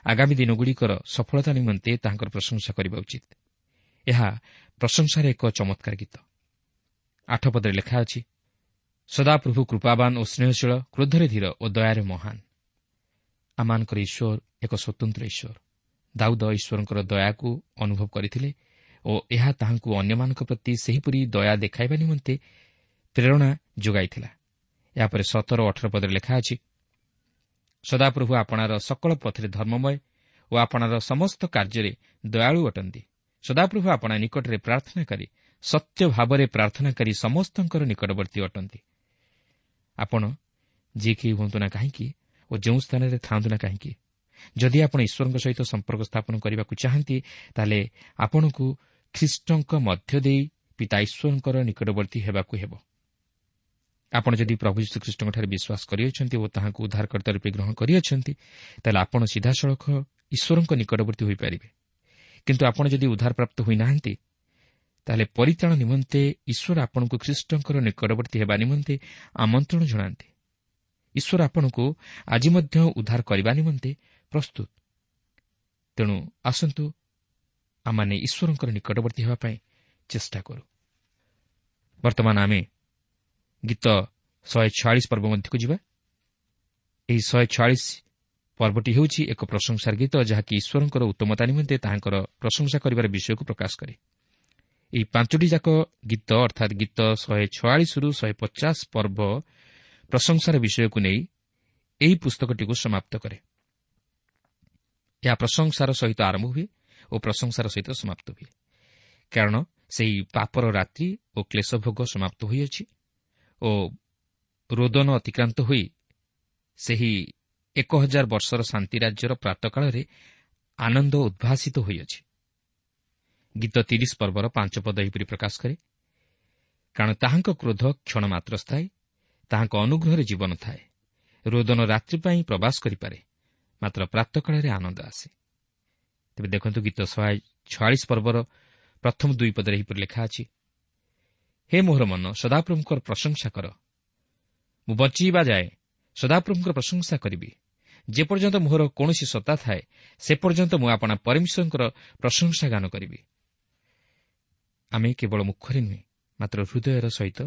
ଆଗାମୀ ଦିନଗୁଡ଼ିକର ସଫଳତା ନିମନ୍ତେ ତାହାଙ୍କର ପ୍ରଶଂସା କରିବା ଉଚିତ। ଏହା ପ୍ରଶଂସାର ଏକ ଚମତ୍କାର ଗୀତ। ଆଠ ପଦରେ ଲେଖା ଅଛି, ସଦାପ୍ରଭୁ କୃପାବାନ ଓ ସ୍ନେହଶୀଳ, କ୍ରୋଧରେ ଧୀର ଓ ଦୟାରେ ମହାନ। ଆମମାନଙ୍କର ଈଶ୍ୱର ଏକ ସ୍ୱତନ୍ତ୍ର ଈଶ୍ୱର। ଦାଉଦ ଈଶ୍ୱରଙ୍କର ଦୟାକୁ ଅନୁଭବ କରିଥିଲେ ଓ ଏହା ତାହାଙ୍କୁ ଅନ୍ୟମାନଙ୍କ ପ୍ରତି ସେହିପରି ଦୟା ଦେଖାଇବା ନିମନ୍ତେ ପ୍ରେରଣା ଯୋଗାଇଥିଲା। ଏହାପରେ ସତର ଅଠର ପଦରେ ଲେଖା ଅଛି, ସଦାପ୍ରଭୁ ଆପଣାର ସକଳ ପଥରେ ଧର୍ମମୟ ଓ ଆପଣାର ସମସ୍ତ କାର୍ଯ୍ୟରେ ଦୟାଳୁ ଅଟନ୍ତି। ସଦାପ୍ରଭୁ ଆପଣା ନିକଟରେ ପ୍ରାର୍ଥନାକାରୀ, ସତ୍ୟ ଭାବରେ ପ୍ରାର୍ଥନାକାରୀ ସମସ୍ତଙ୍କର ନିକଟବର୍ତ୍ତୀ ଅଟନ୍ତି। ଆପଣ ଯିଏ କେହି ହୁଅନ୍ତୁ ନା କାହିଁକି ଓ ଯେଉଁ ସ୍ଥାନରେ ଥାଆନ୍ତୁ ନା କାହିଁକି, ଯଦି ଆପଣ ଈଶ୍ୱରଙ୍କ ସହିତ ସମ୍ପର୍କ ସ୍ଥାପନ କରିବାକୁ ଚାହାନ୍ତି, ତାହେଲେ ଆପଣଙ୍କୁ ଖ୍ରୀଷ୍ଟଙ୍କ ମଧ୍ୟ ଦେଇ ପିତା ଈଶ୍ୱରଙ୍କର ନିକଟବର୍ତ୍ତୀ ହେବାକୁ ହେବ। ଆପଣ ଯଦି ପ୍ରଭୁ ଯୀଶୁଖ୍ରୀଷ୍ଟଙ୍କଠାରେ ବିଶ୍ୱାସ କରିଅଛନ୍ତି ଓ ତାହାଙ୍କୁ ଉଦ୍ଧାରକର୍ତ୍ତା ରୂପେ ଗ୍ରହଣ କରିଅଛନ୍ତି, ତାହେଲେ ଆପଣ ସିଧାସଳଖ ଈଶ୍ୱରଙ୍କ ନିକଟବର୍ତ୍ତୀ ହୋଇପାରିବେ। କିନ୍ତୁ ଆପଣ ଯଦି ଉଦ୍ଧାରପ୍ରାପ୍ତ ହୋଇନାହାନ୍ତି, ତାହେଲେ ପରିତ୍ରାଣ ନିମନ୍ତେ ଈଶ୍ୱର ଆପଣଙ୍କୁ ଖ୍ରୀଷ୍ଟଙ୍କର ନିକଟବର୍ତ୍ତୀ ହେବା ନିମନ୍ତେ ଆମନ୍ତ୍ରଣ ଜଣାନ୍ତି। ଈଶ୍ୱର ଆପଣଙ୍କୁ ଆଜି ମଧ୍ୟ ଉଦ୍ଧାର କରିବା ନିମନ୍ତେ ପ୍ରସ୍ତୁତ। ତେଣୁ ଆସନ୍ତୁ ଆମମାନେ ଈଶ୍ୱରଙ୍କର ନିକଟବର୍ତ୍ତୀ ହେବା ପାଇଁ ଚେଷ୍ଟା କରୁ। ବର୍ତ୍ତମାନ ଆମେ ଗୀତ ଶହେ ଛୟାଳିଶ ପର୍ବ ମଧ୍ୟକୁ ଯିବା। ଏହି ଶହେ ଛୟାଳିଶ ପର୍ବଟି ହେଉଛି ଏକ ପ୍ରଶଂସାର ଗୀତ, ଯାହାକି ଈଶ୍ୱରଙ୍କର ଉତ୍ତମତା ନିମନ୍ତେ ତାହାଙ୍କର ପ୍ରଶଂସା କରିବାର ବିଷୟକୁ ପ୍ରକାଶ କରେ। ଏହି ପାଞ୍ଚଟି ଯାକ ଗୀତ ଅର୍ଥାତ୍ ଗୀତ ଶହେ ଛୟାଳିଶରୁ ଶହେ ପଚାଶ ପର୍ବ ପ୍ରଶଂସାର ବିଷୟକୁ ନେଇ ଏହି ପୁସ୍ତକଟିକୁ ସମାପ୍ତ କରେ। ଏହା ପ୍ରଶଂସାର ସହିତ ଆରମ୍ଭ ହୁଏ ଓ ପ୍ରଶଂସାର ସହିତ ସମାପ୍ତ ହୁଏ, କାରଣ ସେହି ପାପର ରାତ୍ରି ଓ କ୍ଲେଶଭୋଗ ସମାପ୍ତ ହୋଇଅଛି ଓ ରୋଦନ ଅତିକ୍ରାନ୍ତ ହୋଇ ସେହି ଏକ ହଜାର ବର୍ଷର ଶାନ୍ତି ରାଜ୍ୟର ପ୍ରାତଃକାଳରେ ଆନନ୍ଦ ଉଦ୍ଭାସିତ ହୋଇଅଛି। ଗୀତ ତିରିଶ ପର୍ବର ପାଞ୍ଚ ପଦ ଏହିପରି ପ୍ରକାଶ କରେ, କାରଣ ତାହାଙ୍କ କ୍ରୋଧ କ୍ଷଣ ମାତ୍ର ସ୍ଥାୟୀ, ତାହାଙ୍କ ଅନୁଗ୍ରହରେ ଜୀବନ ଥାଏ। ରୋଦନ ରାତ୍ରି ପାଇଁ ପ୍ରବାସ କରିପାରେ, ମାତ୍ର ପ୍ରାତଃକାଳରେ ଆନନ୍ଦ ଆସେ। ତେବେ ଦେଖନ୍ତୁ ଗୀତ ଶହେ ଛୟାଳିଶ ପର୍ବର ପ୍ରଥମ ଦୁଇ ପଦରେ ଏହିପରି ଲେଖା ଅଛି, ହେ ମୋହର ମନ, ସଦାପ୍ରଭୁଙ୍କର ପ୍ରଶଂସା କର। ମୁଁ ବଞ୍ଚିବା ଯାଏ ସଦାପ୍ରଭୁଙ୍କର ପ୍ରଶଂସା କରିବି। ଯେପର୍ଯ୍ୟନ୍ତ ମୋହର କୌଣସି ସତ୍ତା ଥାଏ, ସେ ପର୍ଯ୍ୟନ୍ତ ମୁଁ ଆପଣା ପରମେଶ୍ୱରଙ୍କର ପ୍ରଶଂସା ଗାନ କରିବି। ଆମେ କେବଳ ମୁଖରେ ନୁହେଁ, ମାତ୍ର ହୃଦୟର ସହିତ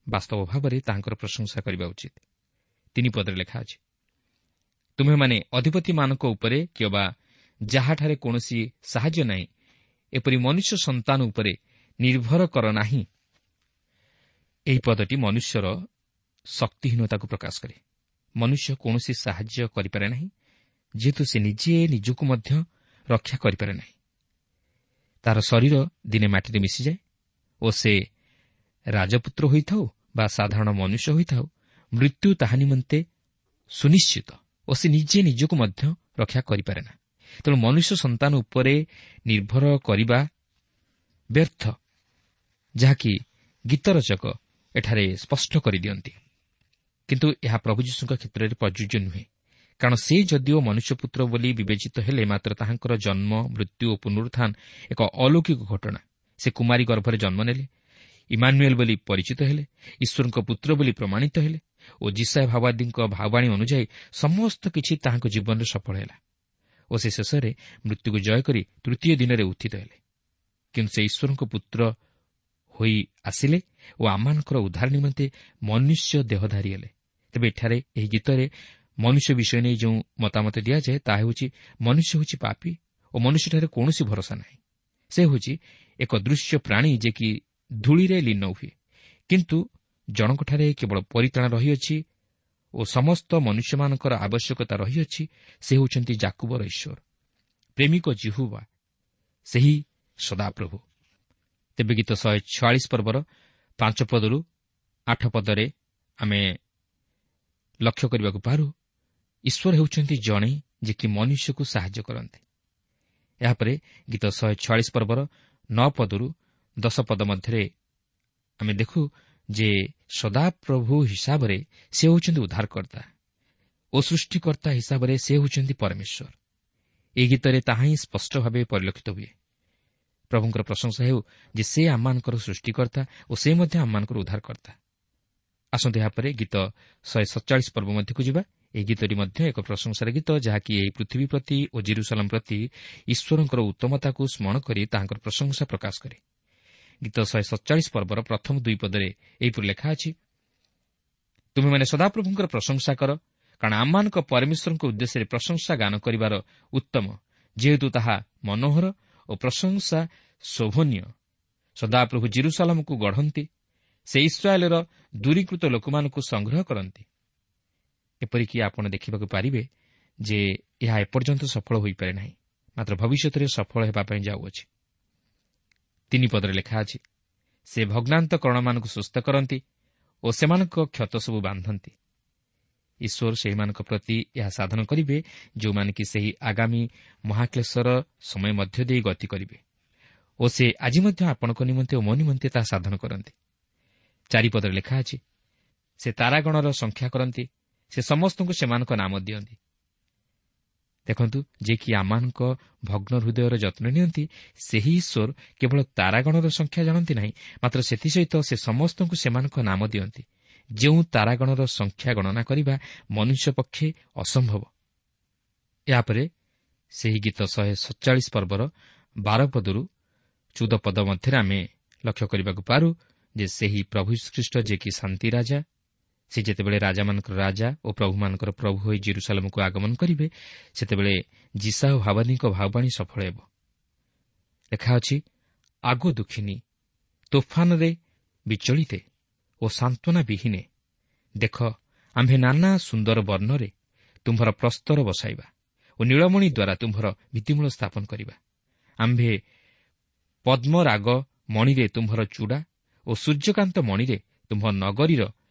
ବାସ୍ତବ ଭାବରେ ତାହାଙ୍କର ପ୍ରଶଂସା କରିବା ଉଚିତ। ତିନି ପଦରେ ଲେଖା ଅଛି, ତୁମ୍ଭେମାନେ ଅଧିପତିମାନଙ୍କ ଉପରେ କିମ୍ବା ଯାହାଠାରେ କୌଣସି ସାହାଯ୍ୟ ନାହିଁ, ଏପରି ମନୁଷ୍ୟ ସନ୍ତାନ ଉପରେ ନିର୍ଭର କର ନାହିଁ। ଏହି ପଦଟି ମନୁଷ୍ୟର ଶକ୍ତିହୀନତାକୁ ପ୍ରକାଶ କରେ। ମନୁଷ୍ୟ କୌଣସି ସାହାଯ୍ୟ କରିପାରେ ନାହିଁ, ଯେହେତୁ ସେ ନିଜେ ନିଜକୁ ମଧ୍ୟ ରକ୍ଷା କରିପାରେ ନାହିଁ। ତାର ଶରୀର ଦିନେ ମାଟିରେ ମିଶିଯାଏ ଓ ସେ ରାଜପୁତ୍ର ହୋଇଥାଉ ବା ସାଧାରଣ ମନୁଷ୍ୟ ହୋଇଥାଉ, ମୃତ୍ୟୁ ତାହା ନିମନ୍ତେ ସୁନିଶ୍ଚିତ ଓ ସେ ନିଜେ ନିଜକୁ ମଧ୍ୟ ରକ୍ଷା କରିପାରେ ନା। ତେଣୁ ମନୁଷ୍ୟ ସନ୍ତାନ ଉପରେ ନିର୍ଭର କରିବା ବ୍ୟର୍ଥ, ଯାହାକି ଗୀତରଚକ ଏଠାରେ ସ୍ପଷ୍ଟ କରିଦିଅନ୍ତି। କିନ୍ତୁ ଏହା ପ୍ରଭୁ ଯୀଶୁଙ୍କ କ୍ଷେତ୍ରରେ ପ୍ରଯୁଜ୍ୟ ନୁହେଁ, କାରଣ ସେ ଯଦିଓ ମନୁଷ୍ୟପୁତ୍ର ବୋଲି ବିବେଚିତ ହେଲେ, ମାତ୍ର ତାହାଙ୍କର ଜନ୍ମ, ମୃତ୍ୟୁ ଓ ପୁନରୁତ୍ଥାନ ଏକ ଅଲୌକିକ ଘଟଣା। ସେ କୁମାରୀ ଗର୍ଭରେ ଜନ୍ମ ନେଲେ, ଇମାନୁଏଲ୍ ବୋଲି ପରିଚିତ ହେଲେ, ଈଶ୍ୱରଙ୍କ ପୁତ୍ର ବୋଲି ପ୍ରମାଣିତ ହେଲେ ଓ ଯିଶାଇୟ ଭାବବାଦୀଙ୍କ ଭାବବାଣୀ ଅନୁଯାୟୀ ସମସ୍ତ କିଛି ତାହାଙ୍କ ଜୀବନରେ ସଫଳ ହେଲା ଓ ସେ ଶେଷରେ ମୃତ୍ୟୁକୁ ଜୟ କରି ତୃତୀୟ ଦିନରେ ଉତ୍ଥିତ ହେଲେ। କିନ୍ତୁ ସେ ଈଶ୍ୱରଙ୍କ ପୁତ୍ର ହୋଇ ଆସିଲେ ଓ ଆମମାନଙ୍କର ଉଦ୍ଧାର ନିମନ୍ତେ ମନୁଷ୍ୟ ଦେହଧାରୀ ହେଲେ। ତେବେ ଏଠାରେ ଏହି ଗୀତରେ ମନୁଷ୍ୟ ବିଷୟ ନେଇ ଯେଉଁ ମତାମତ ଦିଆଯାଏ ତାହା ହେଉଛି ମନୁଷ୍ୟ ହେଉଛି ପାପୀ ଓ ମନୁଷ୍ୟଠାରେ କୌଣସି ଭରସା ନାହିଁ। ସେ ହେଉଛି ଏକ ଦୃଶ୍ୟ ପ୍ରାଣୀ ଯେ କି ଧୂଳିରେ ଲୀନ ହୁଏ, କିନ୍ତୁ ଜଣଙ୍କଠାରେ କେବଳ ପରିତ୍ରାଣ ରହିଅଛି ଓ ସମସ୍ତ ମନୁଷ୍ୟମାନଙ୍କର ଆବଶ୍ୟକତା ରହିଅଛି। ସେ ହେଉଛନ୍ତି ଯାକୁବର ଈଶ୍ୱର, ପ୍ରେମିକ ଯିହୋବା, ସେହି ସଦାପ୍ରଭୁ। ତେବେ ଗୀତ ଶହେ ଛୟାଳିଶ ପର୍ବର ପାଞ୍ଚ ପଦରୁ ଆଠ ପଦରେ ଆମେ ଲକ୍ଷ୍ୟ କରିବାକୁ ପାରୁ ଈଶ୍ୱର ହେଉଛନ୍ତି ଜଣେ ଯେ କି ମନୁଷ୍ୟକୁ ସାହାଯ୍ୟ କରନ୍ତି। ଏହାପରେ ଗୀତ ଶହେ ଛୟାଳିଶ ପର୍ବର ନଅ ପଦରୁ ଦଶ ପଦ ମଧ୍ୟରେ ଆମେ ଦେଖୁ ଯେ ସଦାପ୍ରଭୁ ହିସାବରେ ସେ ହେଉଛନ୍ତି ଉଦ୍ଧାରକର୍ତ୍ତା ଓ ସୃଷ୍ଟିକର୍ତ୍ତା ହିସାବରେ ସେ ହେଉଛନ୍ତି ପରମେଶ୍ୱର। ଏହି ଗୀତରେ ତାହା ହିଁ ସ୍ପଷ୍ଟ ଭାବେ ପରିଲକ୍ଷିତ ହୁଏ। ପ୍ରଭୁଙ୍କର ପ୍ରଶଂସା ହେଉ ଯେ ସେ ଆମମାନଙ୍କର ସୃଷ୍ଟିକର୍ତ୍ତା ଓ ସେ ମଧ୍ୟ ଆମମାନଙ୍କର ଉଦ୍ଧାରକର୍ତ୍ତା। ଆସନ୍ତୁ ଏହାପରେ ଗୀତ ଶହେ ସତଚାଳିଶ ପର୍ବ ମଧ୍ୟକୁ ଯିବା। ଏହି ଗୀତଟି ମଧ୍ୟ ଏକ ପ୍ରଶଂସାର ଗୀତ, ଯାହାକି ଏହି ପୃଥିବୀ ପ୍ରତି ଓ ଜିରୁସାଲମ ପ୍ରତି ଈଶ୍ୱରଙ୍କର ଉତ୍ତମତାକୁ ସ୍ମରଣ କରି ତାହାଙ୍କର ପ୍ରଶଂସା ପ୍ରକାଶ କରେ। ଗୀତ ଶହେ ସତଚାଳିଶ ପର୍ବର ପ୍ରଥମ ଦୁଇ ପଦରେ ଏହିପରି ଲେଖା ଅଛି, ତୁମେମାନେ ସଦାପ୍ରଭୁଙ୍କର ପ୍ରଶଂସା କର, କାରଣ ଆମମାନଙ୍କ ପରମେଶ୍ୱରଙ୍କ ଉଦ୍ଦେଶ୍ୟରେ ପ୍ରଶଂସା ଗାନ କରିବାର ଉତ୍ତମ, ଯେହେତୁ ତାହା ମନୋହର ଓ ପ୍ରଶଂସା ଶୋଭନୀୟ। ସଦାପ୍ରଭୁ ଜିରୁସାଲମକୁ ଗଢ଼ନ୍ତି, ସେ ଇସ୍ରାଏଲର ଦୂରୀକୃତ ଲୋକମାନଙ୍କୁ ସଂଗ୍ରହ କରନ୍ତି। ଏପରିକି ଆପଣ ଦେଖିବାକୁ ପାରିବେ ଯେ ଏହା ଏପର୍ଯ୍ୟନ୍ତ ସଫଳ ହୋଇପାରେ ନାହିଁ, ମାତ୍ର ଭବିଷ୍ୟତରେ ସଫଳ ହେବା ପାଇଁ ଯାଉଅଛି। ତିନି ପଦରେ ଲେଖା ଅଛି, ସେ ଭଗ୍ନାନ୍ତ କରଣମାନଙ୍କୁ ସୁସ୍ଥ କରନ୍ତି ଓ ସେମାନଙ୍କ କ୍ଷତ ସବୁ ବାନ୍ଧନ୍ତି। ଈଶ୍ୱର ସେହିମାନଙ୍କ ପ୍ରତି ଏହା ସାଧନ କରିବେ ଯେଉଁମାନେ କି ସେହି ଆଗାମୀ ମହାକ୍ଲେଶର ସମୟ ମଧ୍ୟ ଦେଇ ଗତି କରିବେ ଓ ସେ ଆଜି ମଧ୍ୟ ଆପଣଙ୍କ ନିମନ୍ତେ ଓ ମୋ ନିମନ୍ତେ ତାହା ସାଧନ କରନ୍ତି। ଚାରିପଦରେ ଲେଖା ଅଛି, ସେ ତାରାଗଣର ସଂଖ୍ୟା କରନ୍ତି, ସେ ସମସ୍ତଙ୍କୁ ସେମାନଙ୍କ ନାମ ଦିଅନ୍ତି। ଦେଖନ୍ତୁ, ଯେ କି ଆମମାନଙ୍କ ଭଗ୍ନ ହୃଦୟର ଯତ୍ନ ନିଅନ୍ତି, ସେହି ଈଶ୍ୱର କେବଳ ତାରାଗଣର ସଂଖ୍ୟା ଜାଣନ୍ତି ନାହିଁ, ମାତ୍ର ସେଥିସହିତ ସେ ସମସ୍ତଙ୍କୁ ସେମାନଙ୍କ ନାମ ଦିଅନ୍ତି। ଯେଉଁ ତାରାଗଣର ସଂଖ୍ୟା ଗଣନା କରିବା ମନୁଷ୍ୟ ପକ୍ଷେ ଅସମ୍ଭବ। ଏହାପରେ ସେହି ଗୀତ ଶହେ ସତଚାଳିଶ ପର୍ବର ବାର ପଦରୁ ଚଉଦ ପଦ ମଧ୍ୟରେ ଆମେ ଲକ୍ଷ୍ୟ କରିବାକୁ ପାରୁ ଯେ ସେହି ପ୍ରଭୁ ଖ୍ରୀଷ୍ଟ ଯେ କି ଶାନ୍ତି ରାଜା, ସେ ଯେତେବେଳେ ରାଜାମାନଙ୍କର ରାଜା ଓ ପ୍ରଭୁମାନଙ୍କର ପ୍ରଭୁ ହୋଇ ଜିରୁସାଲମକୁ ଆଗମନ କରିବେ, ସେତେବେଳେ ଯିଶାଇୟ ଭାବାନୀଙ୍କ ଭାବବାଣୀ ସଫଳ ହେବ। ଲେଖା ଅଛି, ଆଗୋ ଦୁଃଖିନୀ, ତୋଫାନରେ ବିଚଳିତେ ଓ ସାନ୍ତ୍ୱନା ବିହୀନେ, ଦେଖ ଆମ୍ଭେ ନାନା ସୁନ୍ଦର ବର୍ଣ୍ଣରେ ତୁମ୍ଭର ପ୍ରସ୍ତର ବସାଇବା ଓ ନୀଳମଣି ଦ୍ୱାରା ତୁମ୍ଭର ଭିତ୍ତିମୂଳ ସ୍ଥାପନ କରିବା। ଆମ୍ଭେ ପଦ୍ମରାଗ ମଣିରେ ତୁମ୍ଭର ଚୂଡ଼ା ଓ ସୂର୍ଯ୍ୟକାନ୍ତ ମଣିରେ ତୁମ୍ଭ ନଗରୀର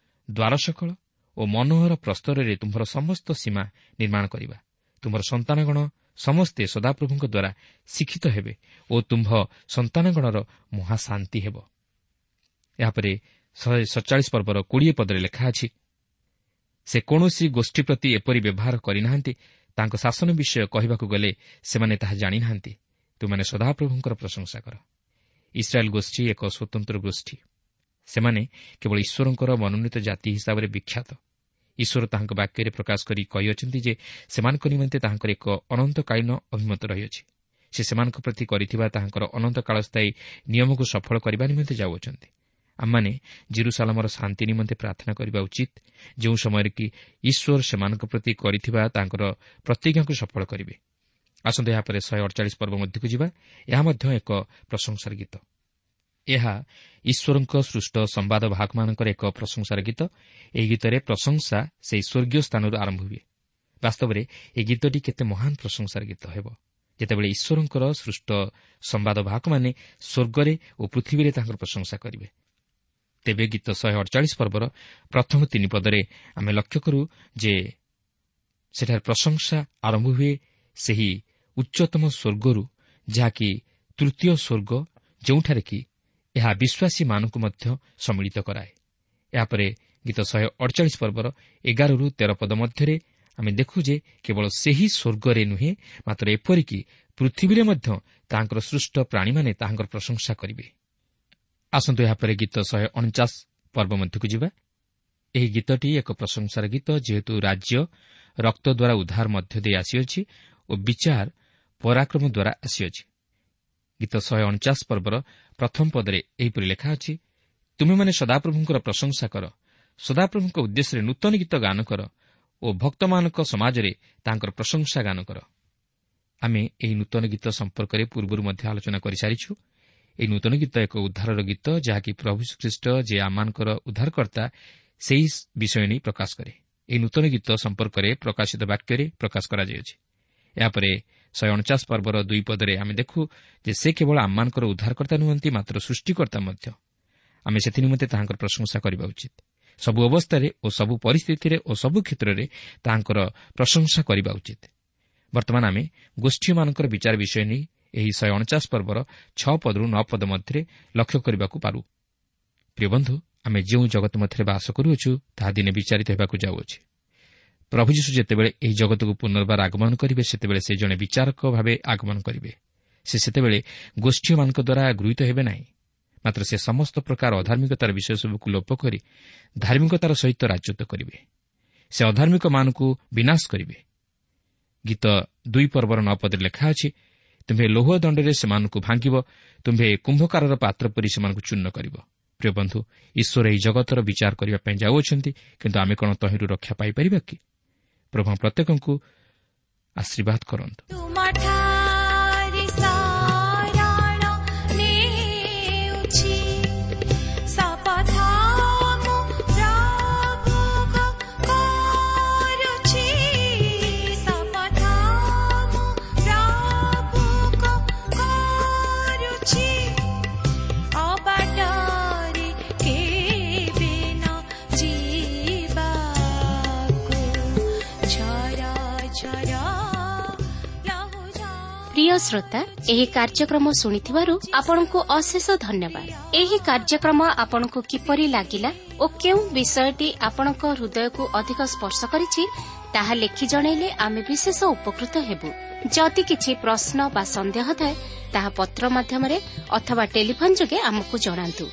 ଦ୍ୱାରସକଳ ଓ ମନୋହର ପ୍ରସ୍ତରରେ ତୁମ୍ଭର ସମସ୍ତ ସୀମା ନିର୍ମାଣ କରିବା। ତୁମ୍ଭର ସନ୍ତାନଗଣ ସମସ୍ତେ ସଦାପ୍ରଭୁଙ୍କ ଦ୍ୱାରା ଶିକ୍ଷିତ ହେବେ ଓ ତୁମ୍ଭ ସନ୍ତାନଗଣର ମହାଶାନ୍ତି ହେବ। ଏହାପରେ ଶହେ ସତଚାଳିଶ ପର୍ବର କୋଡ଼ିଏ ପଦରେ ଲେଖା ଅଛି, ସେ କୌଣସି ଗୋଷ୍ଠୀ ପ୍ରତି ଏପରି ବ୍ୟବହାର କରିନାହାନ୍ତି, ତାଙ୍କ ଶାସନ ବିଷୟ କହିବାକୁ ଗଲେ ସେମାନେ ତାହା ଜାଣିନାହାନ୍ତି। ତୁମେମାନେ ସଦାପ୍ରଭୁଙ୍କର ପ୍ରଶଂସା କର। ଇସ୍ରାଏଲ୍ ଗୋଷ୍ଠୀ ଏକ ସ୍ୱତନ୍ତ୍ର ଗୋଷ୍ଠୀ। ସେମାନେ କେବଳ ଈଶ୍ୱରଙ୍କର ମନୋନୀତ ଜାତି ହିସାବରେ ବିଖ୍ୟାତ। ଈଶ୍ୱର ତାହାଙ୍କ ବାକ୍ୟରେ ପ୍ରକାଶ କରି କହିଅଛନ୍ତି ଯେ ସେମାନଙ୍କ ନିମନ୍ତେ ତାହାଙ୍କର ଏକ ଅନନ୍ତକାଳୀନ ଅଭିମତ ରହିଅଛି। ସେ ସେମାନଙ୍କ ପ୍ରତି କରିଥିବା ତାହାଙ୍କର ଅନନ୍ତକାଳସ୍ଥାୟୀ ନିୟମକୁ ସଫଳ କରିବା ନିମନ୍ତେ ଯାଉଅଛନ୍ତି। ଆମମାନେ ଜିରୁସାଲମର ଶାନ୍ତି ନିମନ୍ତେ ପ୍ରାର୍ଥନା କରିବା ଉଚିତ, ଯେଉଁ ସମୟରେ କି ଈଶ୍ୱର ସେମାନଙ୍କ ପ୍ରତି କରିଥିବା ତାଙ୍କର ପ୍ରତିଜ୍ଞାକୁ ସଫଳ କରିବେ। ଆସନ୍ତୁ ଏହାପରେ ଶହେ ଅଡ଼ଚାଳିଶ ପର୍ବ ମଧ୍ୟକୁ ଯିବା। ଏହା ମଧ୍ୟ ଏକ ପ୍ରଶଂସାର ଗୀତ। ଏହା ଈଶ୍ୱରଙ୍କ ସୃଷ୍ଟ ସମ୍ବାଦ ବାହକମାନଙ୍କର ଏକ ପ୍ରଶଂସାର ଗୀତ। ଏହି ଗୀତରେ ପ୍ରଶଂସା ସେହି ସ୍ୱର୍ଗୀୟ ସ୍ଥାନରୁ ଆରମ୍ଭ ହୁଏ। ବାସ୍ତବରେ ଏହି ଗୀତଟି କେତେ ମହାନ ପ୍ରଶଂସାର ଗୀତ ହେବ, ଯେତେବେଳେ ଈଶ୍ୱରଙ୍କର ସୃଷ୍ଟ ସମ୍ବାଦ ବାହକମାନେ ସ୍ୱର୍ଗରେ ଓ ପୃଥିବୀରେ ତାଙ୍କର ପ୍ରଶଂସା କରିବେ। ତେବେ ଗୀତ ଶହେ ଅଡ଼ଚାଳିଶ ପର୍ବର ପ୍ରଥମ ତିନି ପଦରେ ଆମେ ଲକ୍ଷ୍ୟ କରୁ ଯେ ସେଠାରେ ପ୍ରଶଂସା ଆରମ୍ଭ ହୁଏ ସେହି ଉଚ୍ଚତମ ସ୍ୱର୍ଗରୁ, ଯାହାକି ତୃତୀୟ ସ୍ୱର୍ଗ, ଯେଉଁଠାରେ କି ଏହା ବିଶ୍ୱାସୀମାନଙ୍କୁ ମଧ୍ୟ ସମ୍ମିଳିତ କରାଏ। ଏହାପରେ ଗୀତ ଶହେ ଅଡ଼ଚାଳିଶ ପର୍ବର ଏଗାରରୁ ତେର ପଦ ମଧ୍ୟରେ ଆମେ ଦେଖୁ ଯେ କେବଳ ସେହି ସ୍ୱର୍ଗରେ ନୁହେଁ, ମାତ୍ର ଏପରିକି ପୃଥିବୀରେ ମଧ୍ୟ ତାହାଙ୍କର ସୃଷ୍ଟ ପ୍ରାଣୀମାନେ ତାହାଙ୍କର ପ୍ରଶଂସା କରିବେ। ଆସନ୍ତୁ ଏହାପରେ ଗୀତ ଶହେ ଅଣଚାଶ ପର୍ବ ମଧ୍ୟକୁ ଯିବା। ଏହି ଗୀତଟି ଏକ ପ୍ରଶଂସାର ଗୀତ, ଯେହେତୁ ରାଜ୍ୟ ରକ୍ତ ଦ୍ୱାରା ଉଦ୍ଧାର ମଧ୍ୟ ଦେଇ ଆସିଅଛି ଓ ବିଚାର ପରାକ୍ରମ ଦ୍ୱାରା ଆସିଅଛି। ଗୀତ ଶହେ ଅଣଚାଶ ପର୍ବର ପ୍ରଥମ ପଦରେ ଏହିପରି ଲେଖା ଅଛି, ତୁମେମାନେ ସଦାପ୍ରଭୁଙ୍କର ପ୍ରଶଂସା କର, ସଦାପ୍ରଭୁଙ୍କ ଉଦ୍ଦେଶ୍ୟରେ ନୂତନ ଗୀତ ଗାନ କର ଓ ଭକ୍ତମାନଙ୍କ ସମାଜରେ ତାଙ୍କର ପ୍ରଶଂସା ଗାନ କର। ଆମେ ଏହି ନୂତନ ଗୀତ ସମ୍ପର୍କରେ ପୂର୍ବରୁ ମଧ୍ୟ ଆଲୋଚନା କରିସାରିଛୁ। ଏହି ନୂତନ ଗୀତ ଏକ ଉଦ୍ଧାରର ଗୀତ, ଯାହାକି ପ୍ରଭୁ ଖ୍ରୀଷ୍ଟ ଯେ ଆମମାନଙ୍କର ଉଦ୍ଧାରକର୍ତ୍ତା ସେହି ବିଷୟ ନେଇ ପ୍ରକାଶ କରେ। ଏହି ନୂତନ ଗୀତ ସମ୍ପର୍କରେ ପ୍ରକାଶିତ ବାକ୍ୟରେ ପ୍ରକାଶ କରାଯାଇଅଛି। ଏହାପରେ ଶହେ ଅଣଚାଶ ପର୍ବର ଦୁଇ ପଦରେ ଆମେ ଦେଖୁ ଯେ ସେ କେବଳ ଆମମାନଙ୍କର ଉଦ୍ଧାରକର୍ତ୍ତା ନୁହନ୍ତି, ମାତ୍ର ସୃଷ୍ଟିକର୍ତ୍ତା ମଧ୍ୟ। ଆମେ ସେଥିନିମନ୍ତେ ତାହାଙ୍କର ପ୍ରଶଂସା କରିବା ଉଚିତ। ସବୁ ଅବସ୍ଥାରେ ଓ ସବୁ ପରିସ୍ଥିତିରେ ଓ ସବୁ କ୍ଷେତ୍ରରେ ତାହାଙ୍କର ପ୍ରଶଂସା କରିବା ଉଚିତ। ବର୍ତ୍ତମାନ ଆମେ ଗୋଷ୍ଠୀମାନଙ୍କର ବିଚାର ବିଷୟ ନେଇ ଏହି ଶହେ ଅଣଚାଶ ପର୍ବର ଛଅ ପଦରୁ ନଅ ପଦ ମଧ୍ୟରେ ଲକ୍ଷ୍ୟ କରିବାକୁ ପାରୁ। ପ୍ରିୟ ବନ୍ଧୁ, ଆମେ ଯେଉଁ ଜଗତ ମଧ୍ୟରେ ବାସ କରୁଅଛୁ ତାହା ଦିନେ ବିଚାରିତ ହେବାକୁ ଯାଉଅଛି। ପ୍ରଭୁ ଯୀଶୁ ଯେତେବେଳେ ଏହି ଜଗତକୁ ପୁନର୍ବାର ଆଗମନ କରିବେ, ସେତେବେଳେ ସେ ଜଣେ ବିଚାରକ ଭାବେ ଆଗମନ କରିବେ। ସେ ସେତେବେଳେ ଗୋଷ୍ଠୀମାନଙ୍କ ଦ୍ୱାରା ଗୃହୀତ ହେବେ ନାହିଁ, ମାତ୍ର ସେ ସମସ୍ତ ପ୍ରକାର ଅଧାର୍ମିକତାର ବିଷୟସବୁକୁ ଲୋପ କରି ଧାର୍ମିକତାର ସହିତ ରାଜତ୍ୱ କରିବେ। ସେ ଅଧାର୍ମିକମାନଙ୍କୁ ବିନାଶ କରିବେ। ଗୀତ ଦୁଇ ପର୍ବର ନଅ ପଦରେ ଲେଖା ଅଛି, ତୁମ୍ଭେ ଲୌହ ଦଣ୍ଡରେ ସେମାନଙ୍କୁ ଭାଙ୍ଗିବ, ତୁମ୍ଭେ କୁମ୍ଭକାରର ପାତ୍ର ପରି ସେମାନଙ୍କୁ ଚୂର୍ଣ୍ଣ କରିବ। ପ୍ରିୟ ବନ୍ଧୁ, ଈଶ୍ୱର ଏହି ଜଗତର ବିଚାର କରିବା ପାଇଁ ଯାଉଅଛନ୍ତି, କିନ୍ତୁ ଆମେ କ'ଣ ତହିଁରୁ ରକ୍ଷା ପାଇପାରିବା କି? ପ୍ରଭୁ ପ୍ରତ୍ୟେକଙ୍କୁ ଆଶୀର୍ବାଦ କରନ୍ତୁ। ପ୍ରିୟ ଶ୍ରୋତା, ଏହି କାର୍ଯ୍ୟକ୍ରମ ଶୁଣିଥିବାରୁ ଆପଣଙ୍କୁ ଅଶେଷ ଧନ୍ୟବାଦ। ଏହି କାର୍ଯ୍ୟକ୍ରମ ଆପଣଙ୍କୁ କିପରି ଲାଗିଲା ଓ କେଉଁ ବିଷୟଟି ଆପଣଙ୍କ ହୃଦୟକୁ ଅଧିକ ସ୍ପର୍ଶ କରିଛି ତାହା ଲେଖି ଜଣାଇଲେ ଆମେ ବିଶେଷ ଉପକୃତ ହେବୁ। ଯଦି କିଛି ପ୍ରଶ୍ନ ବା ସନ୍ଦେହ ଥାଏ ତାହା ପତ୍ର ମାଧ୍ୟମରେ ଅଥବା ଟେଲିଫୋନ୍ ଯୋଗେ ଆମକୁ ଜଣାନ୍ତୁ।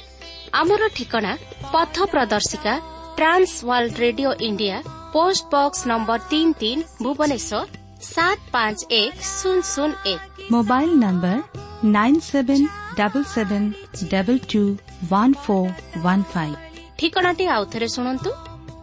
ଆମର ଠିକଣା ପଥ ପ୍ରଦର୍ଶିକା, Trans World Radio India, post box number ତିନି ତିନି, ଭୁବନେଶ୍ୱର ସାତ ପାଞ୍ଚ ଏକ ଶୂନ ଶୂନ ଏକ। Mobile number nine seven double seven double two one four one five. ଠିକଣାଟି ଆଉଥରେ ଶୁଣନ୍ତୁ।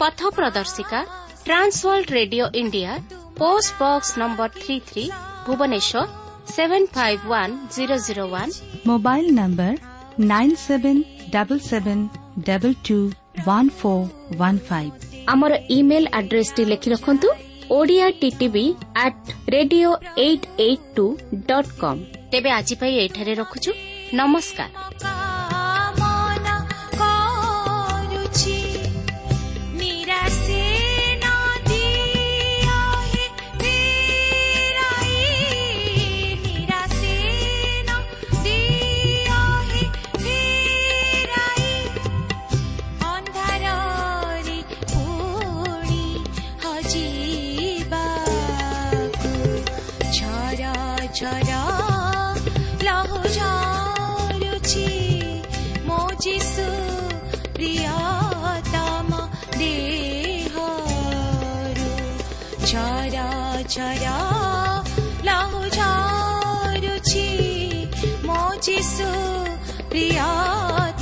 ପଥ ପ୍ରଦର୍ଶିକା, Trans World Radio India, post box number three three, Bhubaneswar seven five one zero zero one. Mobile number nine seven double seven double two one four one five. ଆମର ଇମେଲ୍ ଆଡ୍ରେସଟି ଲେଖି ରଖନ୍ତୁ, Odia TTV at radio eight eight two dot com. ତେବେ ଆଜି ପାଇଁ ଏଠାରେ ରଖୁଛୁ। ନମସ୍କାର। ଝରା ଲହୁ ଝରୁଛି ମୋ ଯୀଶୁ ପ୍ରିୟ।